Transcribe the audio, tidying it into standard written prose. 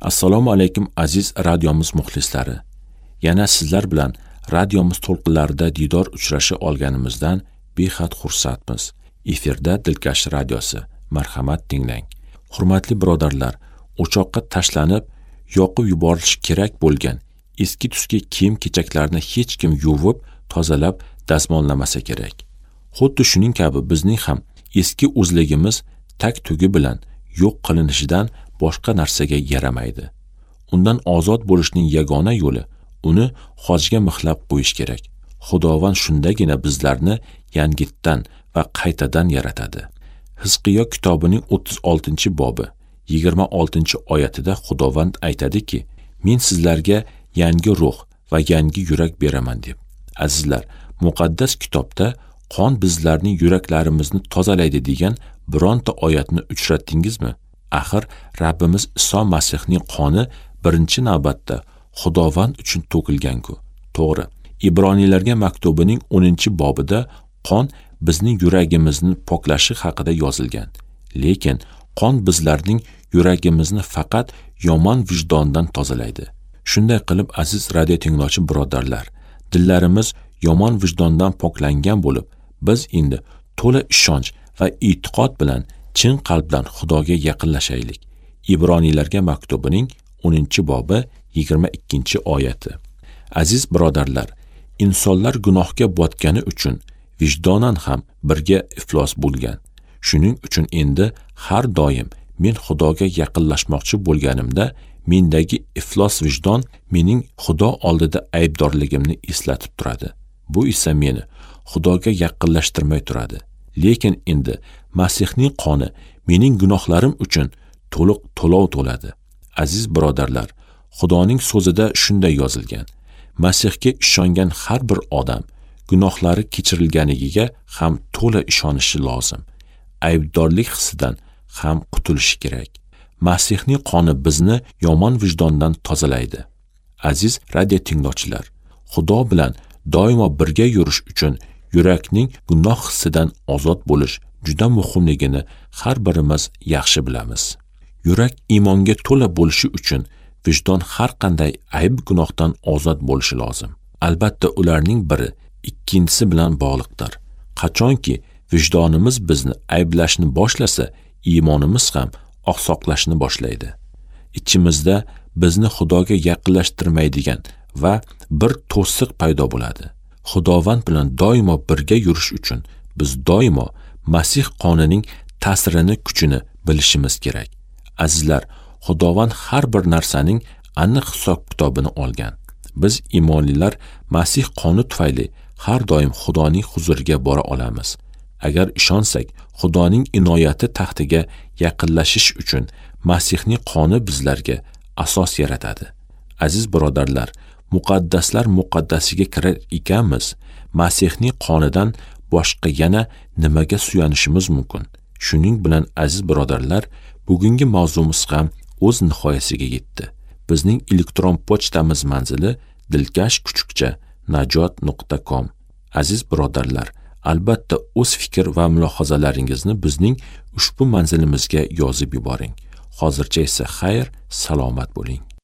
Assalomu alaykum aziz radiomiz muxlislari. Yana sizlar bilan radiomiz to'lqinlarida diydor uchrasha olganimizdan behad xursandmiz. Efirda Dilkash radiosi. Marhamat tinglang. Hurmatli birodarlar, o'choqqa tashlanib, yoqib yuborilishi kerak bo'lgan eski tuski kiyim-kechaklarni hech kim yuvib, tozalab, dazmollamasa kerak. Xuddi shuning kabi bizning ham eski o'zligimiz tag-tugi bilan yo'q qilinishidan boshqa narsaga yaramaydi. Undan ozod bo'lishning yagona yo'li uni xojga mixlab qo'yish kerak. Xudovand shundagina bizlarni yangitdan va qaytadan yaratadi. Hizqiyo kitobining 36-bobi 26-oyatida Xudovand aytadiki, men sizlarga yangi ruh va yangi yurak beraman deb. Azizlar, muqaddas kitobda qon bizlarning yuraklarimizni tozalaydi degan bironta oyatni uchratdingizmi? Axir Rabbimiz Iso Masihning qoni birinchi navbatda Xudovand uchun to'kilgan-ku. To'g'ri. Ibroniylarga maktubining 10-bobida qon bizning yuragimizni poklashi haqida yozilgan. Lekin qon bizlarning yuragimizni faqat yomon vijdondan tozalaydi. Shunday qilib, aziz radio tinglovchi birodarlar, dillarimiz yomon vijdondan poklangan bo'lib, biz endi to'la ishonch va e'tiqod bilan chin qalbdan Xudoga yaqinlashaylik. Ibroniylarga maktubining 10-bobi 22-oyati. Aziz birodarlar, insonlar gunohga botgani uchun vijdonan ham birga iflos bo'lgan. Shuning uchun endi har doim men Xudoga yaqinlashmoqchi bo'lganimda mendagi iflos vijdon mening Xudo oldida aybdorligimni eslatib turadi. Bu esa meni Xudoga yaqinlashtirmay turadi. Lekin endi Masihning qoni mening gunohlarim uchun to'liq to'lov to'ladi. Aziz birodarlar, Xudoning so'zida shunday yozilgan: Masihga ishongan har bir odam gunohlari kechirilganiga ham to'la ishonishi lozim. Aybdorlik hissidan ham qutulishi kerak. Masihning qoni bizni yomon vijdondan tozalaydi. Aziz radio tinglovchilar, Xudo bilan doimo birga yurish uchun yurakning gunoh hissidan ozod bo'lish juda muhimligini har birimiz yaxshi bilamiz. Yurak iymonga to'la bo'lishi uchun vijdon har qanday ayb gunohdan ozod bo'lishi lozim. Albatta ularning biri ikkinchisi bilan bog'liqdir. Qachonki vijdonimiz bizni ayblashni boshlasa, iymonimiz ham oqsoqlashni boshlaydi. Ichimizda bizni Xudoga yaqinlashtirmaydigan va bir to'siq paydo bo'ladi. Xudovand bilan doimo birga yurish uchun biz doimo Masih qonining ta'sirini, kuchini bilishimiz kerak. Azizlar, Xudovand har bir narsaning aniq hisob-kitobini olgan. Biz iymonlilar Masih qoni tufayli har doim Xudoning huzuriga bora olamiz. Agar ishonsak, Xudoning inoyati taxtiga yaqinlashish uchun Masihning qoni bizlarga asos yaratadi. Aziz birodarlar, muqaddaslar muqaddasiga kirar ekanmiz, Masihning qonidan boshqa yana nimaga suyanishimiz mumkin? Shuning bilan aziz birodarlar, bugungi mavzumiz ham o'z nihoyasiga yetdi. Bizning elektron pochtamiz manzili dilkash@najot.com. Aziz birodarlar, albatta o'z fikr va mulohazalaringizni bizning ushbu manzilimizga yozib yuboring. Hozircha esa xayr, salomat bo'ling.